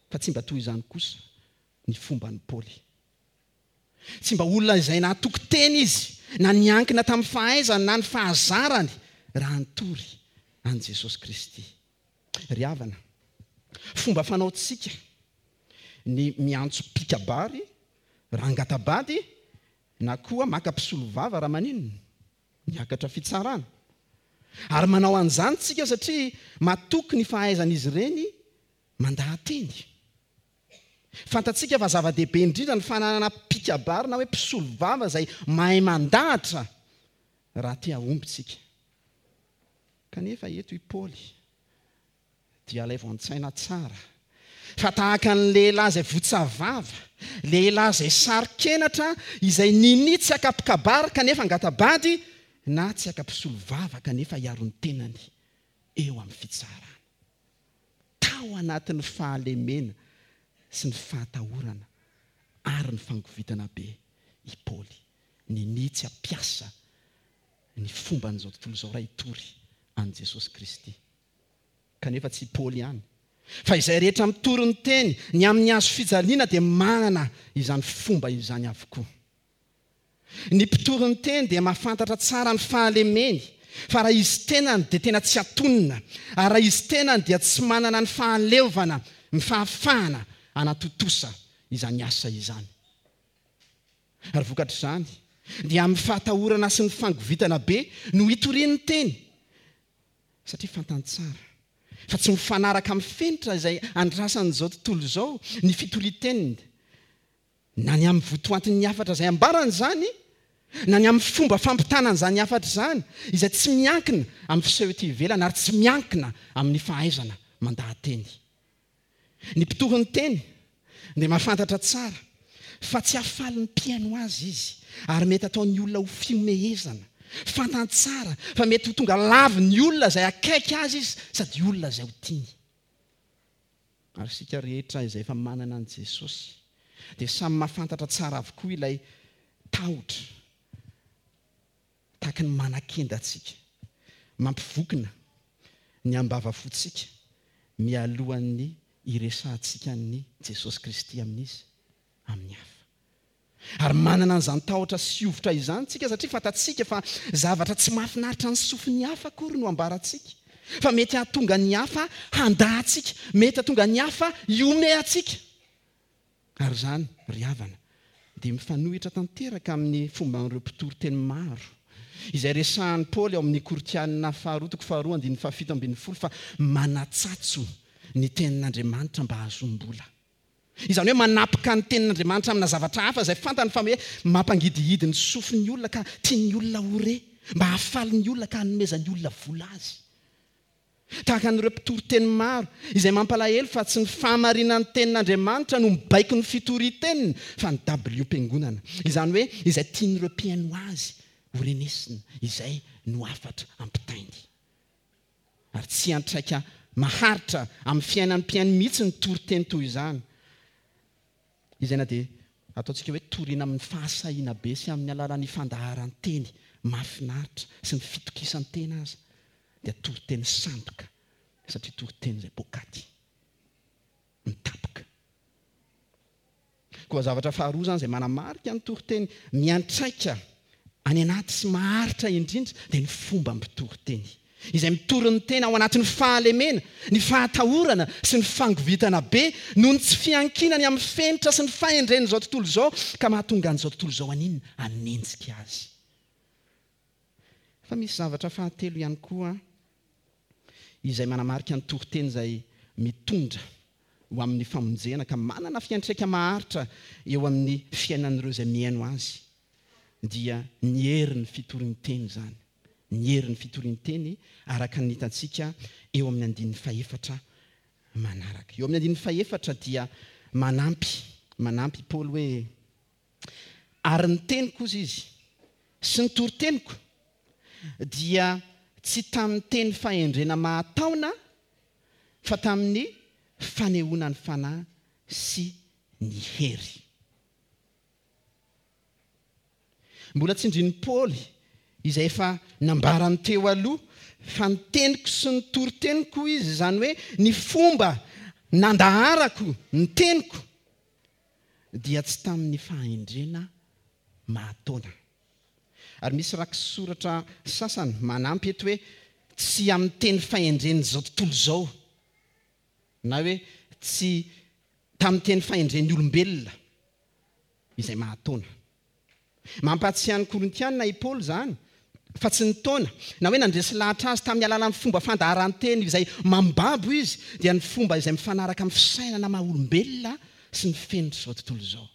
Fa tsy mba toy izany kosa ny fomban'i Paoly. Tsy mba olona izay nahatoky tena izy, na niankina tamin'ny fahaizany na ny fahazarany raha nitory an'i Jesosy Kristy. Ry havana, fomba fanaontsika ny miantso mpikabary raha hangata-bady na koa maka mpisolovava raha maninona? Miakatra fitsarana. Ary manao an'izany tsika satria matoky ny fahaizan'izy ireny mandaha-teny. Fantatsika fa zava-dehibe indrindra ny fananana mpikabary na hoe mpisolovava izay mahay mandahatra raha te hahomby tsika. Kanefa eto i Paoly dia alaivo an-tsaina tsara fa tahaka ny lehilahy izay votsa vava, lehilahy izay saro-kenatra, izay ninia tsy haka mpikabary kanefa angata-bady, na tsy haka mpisolo vava kanefa hiaro ny tenany eo amin'ny fitsarana. Tao anatin'ny fahalemena sy ny fahatahorana ary ny fangovitana be i Paoly, ninia tsy hampiasa ny fomban'izao tontolo izao raha hitory an'i Jesosy Kristy. Kanefa tsy i Paoly ihany, fa izay rehetra mitory ny teny ny amin'ny hazo fijaliana dia manana izany fomba izany avokoa. Ny mpitory ny teny dia mahafantatra tsara ny fahalemeny, fa raha izy tenany dia tena tsy atonina, ary raha izy tenany dia tsy manana ny fahaleovana, ny fahafahana hanatontosa izany asa izany. Ary vokatr'izany, dia amin'ny fahatahorana sy ny fangovitana be no hitoriany ny teny, satria fantany tsara fa tsy mifanaraka amin'ny fenitra izay andrasan'izao tontolo izao ny fitorian-teniny, na ny amin'ny votoantin'ny hafatra izay ambarany izany, na ny amin'ny fomba fampitana an'izany hafatra izany, izay tsy miankina amin'ny fiseho ety ivelany ary tsy miankina amin'ny fahaizana mandaha-teny. Ny mpitory ny teny dia mahafantatra tsara fa tsy hahafaly ny mpihaino azy izy ary mety hataon'ny olona ho fihomehezana. Fantany tsara fa mety ho tonga lavin'ny olona izay akaiky azy izy sady olona izay ho tiany. Ary isika rehetra izay efa manana an'i Jesosy dia samy mahafantatra tsara avokoa ilay tahotra Tahaka ny manakenda antsika, mampivokona ny ambavafontsika mialohan'ny hiresahantsika an'i Jesosy Kristy amin'iza? Amin'ny hafa. Ary manana an'izany tahotra sy hovitra izany isika satria fantatsika fa zavatra tsy mahafinaritra ny sofin'ny hafa akory no ambarantsika. Fa mety hahatonga ny hafa handà antsika, mety hahatonga ny hafa hihomehy antsika. Ary izany, ry havana, dia mifanohitra tanteraka amin'ny fomban'ireo mpitory teny maro, izay resahan'i Paoly ao amin'ny Korintiana faharoa toko faharoa andininy fahafito ambinifolo fa manatsatso ny tenin'Andriamanitra mba hahazoam-bola. Izany hoe manapoka ny tenin'Andriamanitra amina zavatra hafa izay fantany fa hoe mampangidihidy ny sofin'ny olona ka tian'ny olona ho re, mba hahafaly ny olona ka hanomezan'ny olona vola azy. Tahaka an'ireo mpitory teny maro, izay mampalahelo fa tsy ny fahamarinan'ny tenin'Andriamanitra no mibaiko ny fitorian-teniny fa ny dabiliom-piangonana. Izany hoe izay tian'ireo mpihaino azy ho renesina, izay no hafatra ampitainy. Ary tsy hiantraika maharitra amin'ny fiainan'ny mpihaino mihitsy ny toriteny toy izany, izay na dia ataontsika hoe torina amin'ny fahasahiana be sy amin'ny alalan'ny fandaharan-teny mahafinaritra sy ny fitokisan-tena aza, dia toriteny sandoka, satria toriteny izay poakaty, mitapoka. Koa zavatra faharoa izany izay manamarika ny toriteny miantraika any anaty sy maharitra indrindra dia ny fomba mpitoriteny. Izay mitory ny tena ao anatin'ny fahalemena, ny fahatahorana sy ny fangovitana be noho ny tsy fiankinany amin'ny fenitra sy ny fahendren'izao tontolo izao ka mahatonga an'izao tontolo izao haninona? Hanenjika azy. Fa misy zavatra fahatelo ihany koa izay manamarika ny toriteny izay mitondra ho amin'ny famonjena ka manana fiantraika maharitra eo amin'ny fiainan'ireo izay mihaino azy, dia ny herin'ny fitorian-teny izany. Ny herin'ny fitorian-teny araka ny hitantsika eo amin'ny andininy fahefatra manaraka. Eo amin'ny andininy fahefatra dia manampy, manampy i Paoly hoe, Ary ny teniko, hozy izy, sy ny toriteniko dia tsy tamin'ny teny fahendrena mahataona fa tamin'ny fanehoana ny Fanahy sy ny hery. Mbola tsindrin'i Paoly izay efa nambarany teo aloha fa ny teniko sy ny toriteniko, hoy izy, izany hoe ny fomba nandaharako ny teniko, dia tsy tamin'ny fahendrena mahataona. Ary misy rakisoratra sasany manampy eto hoe tsy amin'ny teny fahendren'izao tontolo izao, na hoe tsy tamin'ny teny fahendren'ny olombelona izay mahataona. Mampahatsiahy ny Korintiana i Paoly izany fa tsy nitaona, na hoe nandresy lahatra azy tamin'ny alalan'ny fomba fandaharan-teny izay mambabo izy, dia ny fomba izay mifanaraka amin'ny fisainana maha-olombelona sy ny fenitr'izao tontolo izao.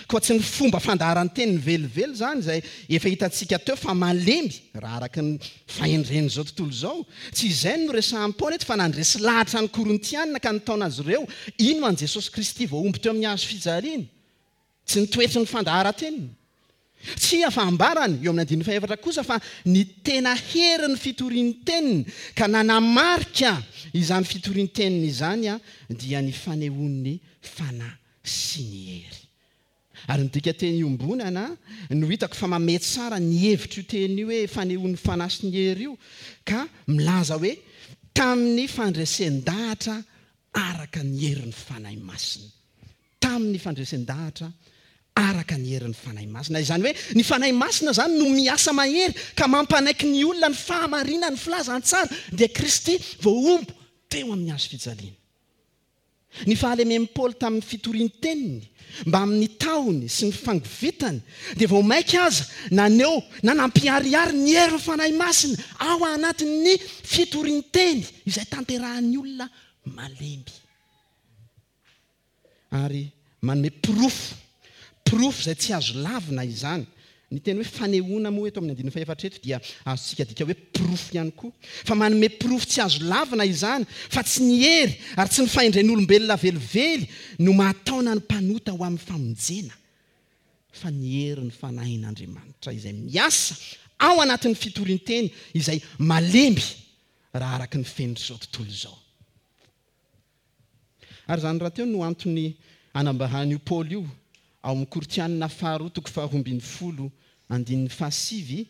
Koa tsy ny fomba fandaharan-teniny velively izany izay efa hitantsika teo fa malemy raha araka ny fahendren'izao tontolo izao. Tsy izay no noresahan'i Paoly eto fa nandresy lahatra ny Korintiana ka nitaona azy ireo hino an'i Jesosy Kristy voahombo teo amin'ny hazo fijaliana. Tsy ny toetry ny fandaharan-teniny. Tsia fa ambarany eo amin'ny andininy fahefatra kosa fa ny tena herin'ny fitorian-teniny ka nanamarika izany fitorian-teniny izany dia ny fanehoan'ny Fanahy sy ny hery. Ary ny dikanteny iombonana no hitako fa mamehy tsara ny hevitr'io teny io hoe fanehoan'ny Fanahy sy ny hery io ka milaza hoe tamin'ny fandresen-dahatra araka ny herin'ny Fanahy Masina. Tamin'ny fandresen-dahatra araka ny herin'ny Fanahy Masina. Izany hoe ny Fanahy Masina izany no miasa mahery ka mampanaiky ny olona ny fahamarinan'ny filazantsara, dia Kristy voahombo teo amin'ny hazo fijaliana. Ny fahalemen'i Paoly tamin'ny fitorian-teniny mbamin'ny tahony sy ny fangovitany dia vao mainka aza naneho na nampiharihary ny herin'ny Fanahy Masina ao anatin'ny fitorian-teny izay tanterahan'ny olona malemy. Ary manome porofo, porofo izay tsy azo lavina izany. Ny teny hoe fanehoana moa eto amin'ny andininy fahefatra eto dia azontsika adika hoe porofo ihany koa. Fa manome porofo tsy azo lavina izany fa tsy ny hery ary tsy ny fahendren'olombelona velively no mahataona ny mpanota ho amin'ny famonjena fa ny herin'ny Fanahin'Andriamanitra izay miasa ao anatin'ny fitorian-teny izay malemy raha araka ny fenitr'izao tontolo izao. Ary izany rahateo no antony anambaran'io Paoly io ao amin'ny Korintianina faharoa toko faharoambinifolo andininy fahasivy,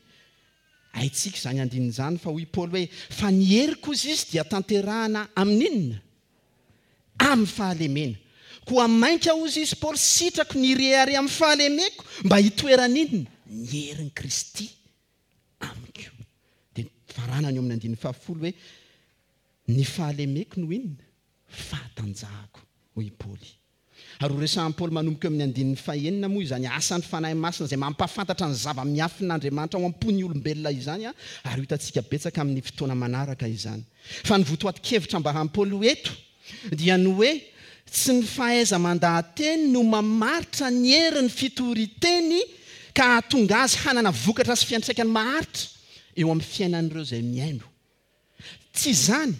haintsika izany andininy izany fa hoy Paoly hoe, fa ny heriko hozy izy dia tanterahana amin'inona? Amin'ny fahalemena. Koa mainka hozy izy Paoly sitrako ny hirehareha amin'ny fahalemeko mba hitoeran'inona? Ny herin'i Kristy amiko. Dia. faranany eo amin'ny andininy fahafolo hoe, Ny fahalemeko no inona? Fahatanjahako, hoy i Paoly. Ary horesahan'i Paoly manomboka eo amin'ny andininy fahenina moa izany asan'ny Fanahy Masina izay mampahafantatra ny zava-miafin'Andriamanitra ao am-pon'ny olombelona izany, ary ho hitantsika betsaka amin'ny fotoana manaraka izany. Fa ny votoatin-kevitra ambaran'i Paoly eto dia ny hoe tsy ny fahaiza-mandaha-teny no mamaritra ny herin'ny fitorian-teny ka hahatonga azy hanana vokatra sy fiantraikany maharitra eo amin'ny fiainan'ireo izay mihaino. Tsy izany,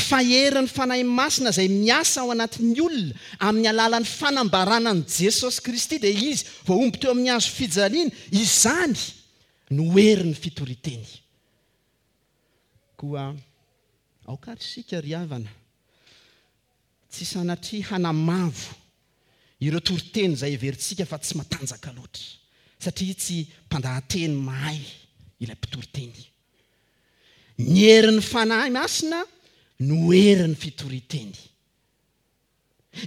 fa herin'ny Fanahy Masina izay miasa ao anatin'ny olona amin'ny alalan'ny fanambarana an'i Jesosy Kristy, dia Izy voahombo teo amin'ny hazo fijaliana, izany no herin'ny fitorian-teny. Koa aoka ary isika ry havana tsy sanatria hanamavo ireo toriteny izay heverintsika fa tsy matanjaka loatra, satria tsy mpandahateny mahay ilay mpitoriteny. Ny herin'ny Fanahy Masina no herin'ny fitorian-teny.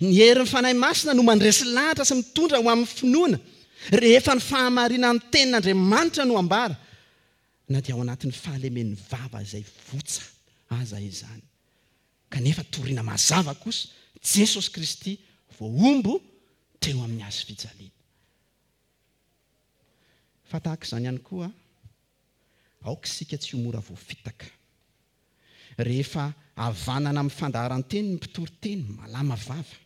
Ny herin'ny Fanahy Masina no mandresy lahatra sy mitondra ho amin'ny finoana rehefa ny fahamarinan'ny Tenin'Andriamanitra no ambara, na dia ao anatin'ny fahalemen'ny vava izay votsa aza izany. Kanefa torina mazava kosa Jesosy Kristy voahombo teo amin'ny hazo fijaliana. Fa tahaka izany ihany koa, Aoka isika tsy ho mora voafitaka. Rehefa havanana amin'ny fandaharan-teny ny mpitory teny, malama vava.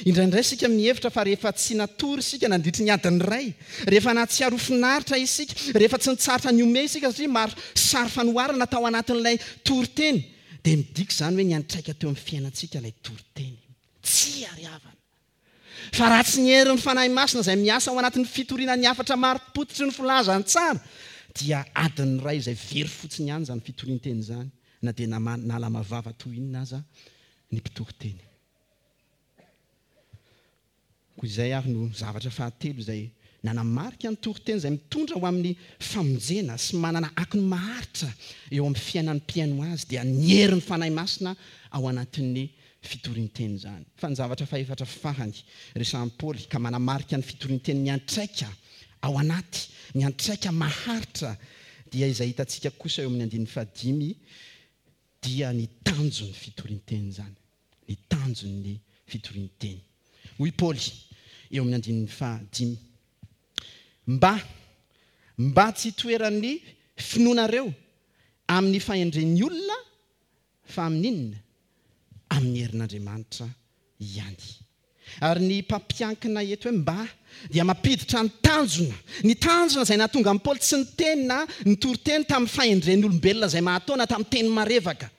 Indraindray isika mihevitra fa rehefa tsy natory isika nandritry ny adiny iray, rehefa nahatsiaro ho finaritra isika, rehefa tsy nitsahatra nihomehy isika satria maro sary fanoharana tao anatin'ilay toriteny, dia midika izany hoe niantraika teo amin'ny fiainantsika ilay toriteny. Tsia ry havana! Fa raha tsy ny herin'ny Fanahy Masina izay miasa ao anatin'ny fitoriana ny hafatra marim-pototry ny filazantsara, dia adiny iray izay very fotsiny ihany izany fitorian-teny izany, na dia nalama vava toy inona aza ny mpitory teny. Koa izay ary no zavatra fahatelo izay nanamarika ny toriteny izay mitondra ho amin'ny famonjena sy manana akony maharitra eo amin'ny fiainan'ny mpihaino azy, dia ny herin'ny Fanahy Masina ao anatin'ny fitorian-teny izany. Fa ny zavatra fahefatra farany resahan'i Paoly ka manamarika ny fitorian-teny miantraika ao anaty, miantraika maharitra, dia izay hitantsika kosa eo amin'ny andininy fahadimy, dia ny tanjon'ny fitorian-teny izany. Ny tanjon'ny fitorian-teny. Hoy Paoly eo amin'ny andininy fahadimy, Mba, mba tsy hitoeran'ny finoanareo amin'ny fahendren'ny olona, Fa amin'inona? Amin'ny herin'Andriamanitra ihany. Ary ny mpampiankina eto hoe mba dia mampiditra ny tanjona. Ny tanjona izay nahatonga an'i Paoly tsy niteny na nitory teny tamin'ny fahendren'olombelona izay mahataona tamin'ny teny marevaka.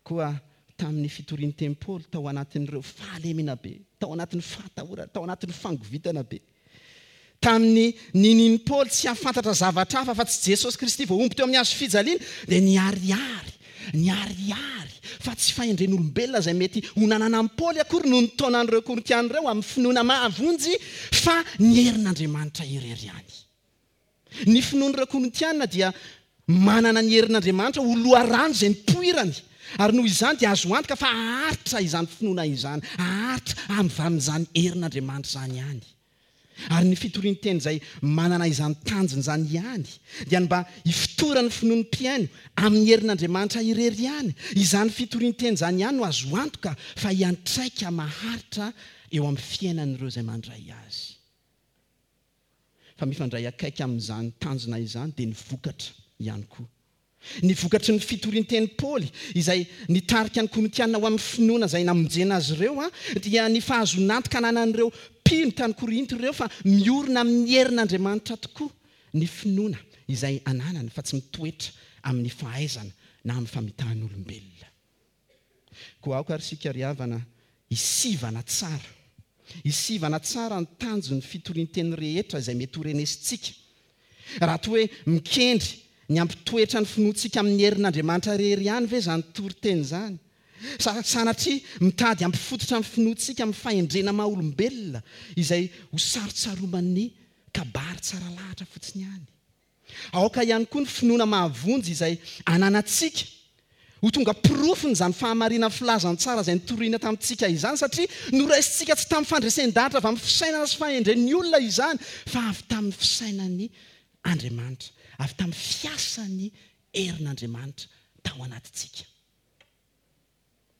Koa tamin'ny fitorian'ny Paoly tao anatin'ireo fahalemena be, tao anatin'ny fahatahorana, tao anatin'ny fangovitana be, Tamin'ny ninian'i Paoly tsy hahafantatra zavatra hafa afa-tsy Jesosy Kristy voahombo teo amin'ny hazo fijaliana, dia niharihary, niharihary fa tsy fahendren'olombelona izay mety ho nananan'i Paoly akory no nitaona an'ireo Korintiana ireo amin'ny finoana mahavonjy, fa ny herin'Andriamanitra irery ihany. Ny finoan'ireo Korintiana dia manana ny herin'Andriamanitra ho loharano izay nipoirany, ary noho izany dia azo antoka fa haharitra izany finoana izany, haharitra amin'izany herin'Andriamanitra izany ihany. Ary ny fitorian-teny izay manana izany tanjona izany ihany dia ny mba hifotoran'ny finoan'ny mpihaino amin'ny herin'Andriamanitra irery ihany. Izany fitorian-teny izany ihany no azo antoka fa hiantraika maharitra eo amin'ny fiainan'ireo izay mandray azy. Fa mifandray akaiky amin'izany tanjona izany dia ny vokatra ihany koa. Ny vokatry ny fitorian-tenin'i Paoly, izay nitarika ny Korintiana ho amin'ny finoana izay namonjena azy ireo, dia ny fahazoan'antoka ananan'ireo mpino tany Korinto ireo fa miorina amin'ny herin'Andriamanitra tokoa ny finoana izay ananany fa tsy mitoetra amin'ny fahaizana na amin'ny famitahan'olombelona. Koa aoka ary isika ry havana hisivana tsara, hisivana tsara ny tanjon'ny fitorian-teny rehetra izay mety ho renesintsika. Raha toa hoe mikendry ny hampitoetra ny finoantsika amin'ny herin'Andriamanitra irery ihany ve izany toriteny izany? Sa sanatria mitady hampifototra ny finoantsika amin'ny fahendrena maha-olombelona izay ho sarotsaroman'ny kabary tsara lahatra fotsiny ihany? Aoka ihany koa ny finoana mahavonjy izay ananantsika ho tonga porofon'izany fahamarinan'ny filazantsara izay notorina tamintsika izany, satria noraisintsika tsy tamin'ny fandresen-dahatra avy amin'ny fisainana sy fahendren'ny olona izany, fa avy tamin'ny fisainan'ny Andriamanitra, avy tamin'ny fiasan'ny. herin'Andriamanitra tao anatintsika.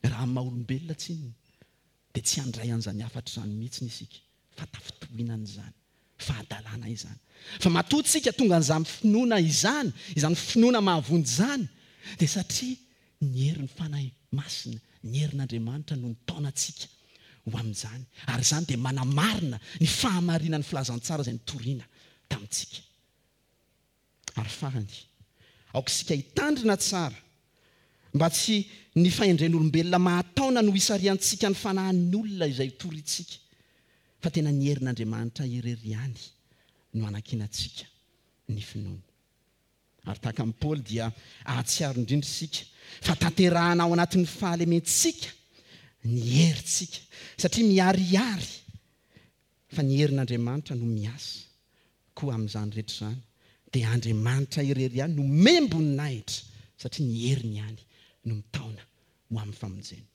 Raha amin'ny maha olombelona tsinona dia tsy handray an'izany hafatra izany mihitsy isika fa tafintohinana izany, fahadalana izany. Fa matoa tsika tonga an'izany finoana izany, izany finoana mahavonjy izany dia satria ny herin'ny Fanahy Masina, ny herin'Andriamanitra no nitaona antsika ho amin'izany ary izany dia manamarina ny fahamarinan'ny filazantsara izay notorina tamintsika. Ary farany, aoka isika hitandrina tsara mba tsy ny fahendren'olombelona mahataona no hisarihantsika ny fanahin'ny olona izay torintsika, fa tena ny herin'Andriamanitra irery ihany no hanankinantsika ny finoana. Ary tahaka an'i Paoly dia hahatsiaro indrindra isika fa tanterahana ao anatin'ny fahalementsika ny herintsika, satria miharihary fa ny herin'Andriamanitra no miasa, koa amin'izany rehetra izany dia Andriamanitra irery ihany no omem-boninahitra satria ny heriny ihany no mitaona ho amin'ny famonjena.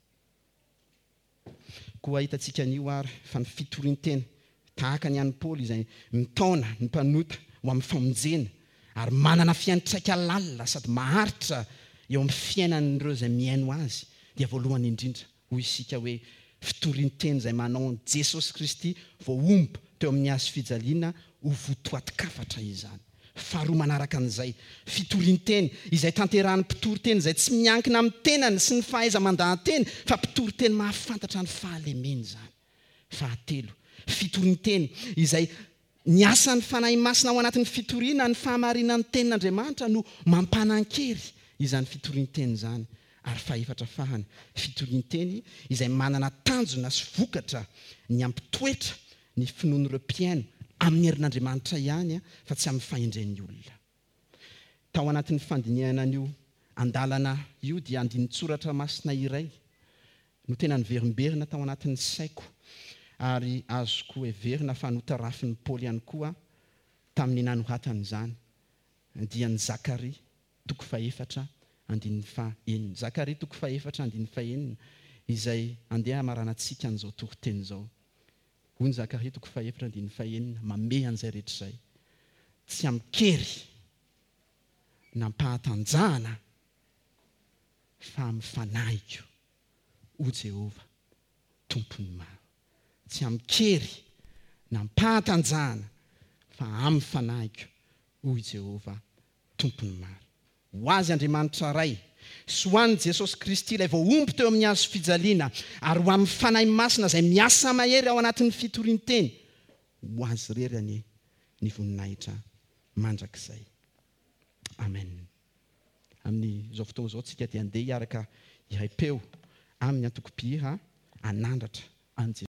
Koa hitantsika anio ary fa ny fitorian-teny tahaka ny an'i Paoly izay mitaona ny mpanota ho amin'ny famonjena ary manana fiantraika lalina sady maharitra eo amin'ny fiainan'ireo izay mihaino azy dia voalohany indrindra Hoy isika hoe fitorian-teny izay manao an'i Jesosy Kristy voahombo teo amin'ny hazo fijaliana ho votoatin-kafatra izany. Faharoa manaraka an'izay, fitorian-teny izay tanterahan'ny mpitoriteny izay tsy miankina amin'ny tenany sy ny fahaiza-mandaha-teny fa mpitoriteny mahafantatra ny fahalemeny izany. Fahatelo, fitorian-teny izay Ny asan'ny Fanahy Masina ao anatin'ny fitoriana ny fahamarinan'ny Tenin'Andriamanitra no mampanan-kery izany fitorian-teny izany. Ary fahefatra fahany, fitorian-teny izay manana tanjona sy vokatra ny hampitoetra ny finoan'ireo mpihaino amin'ny herin'Andriamanitra ihany fa tsy amin'ny fahendren'ny olona. Tao anatin'ny fandinihana an'io andalana io dia andinin-tsoratra masina iray no tena niverimberina tao anatin'ny saiko ary azoko heverina fa notarafin'i Paoly ihany koa tamin'ny nanoratany izany, dia ny Zakaria toko fahefatra andininy fahenina. Zakaria toko fahefatra andininy fahenina izay andeha hamaranantsika an'izao toriteny izao. Hoy ny Zakaria toko fahefatra andininy fahenina, mamehy an'izay rehetra izay, tsy amin-kery na am-pahatanjahana fa amin'ny fanahiko, hoy Jehovah, Tompon'ny maro. Tsy amin-kery na am-pahatanjahana fa amin'ny fanahiko, hoy Jehovah, Tompon'ny maro. Ho Azy Andriamanitra Ray, sy ho an'i Jesosy Kristy ilay voahombo teo amin'ny hazo fijaliana, ary ho amin'ny Fanahy Masina izay miasa mahery ao anatin'ny fitorian-teny, ho Azy irery anie ny voninahitra mandrakizay. Amen. Amin'izao fotoana izao tsika dia andeha hiaraka hiray peo amin'ny antoko mpihira hanandratra an'i Jesosy.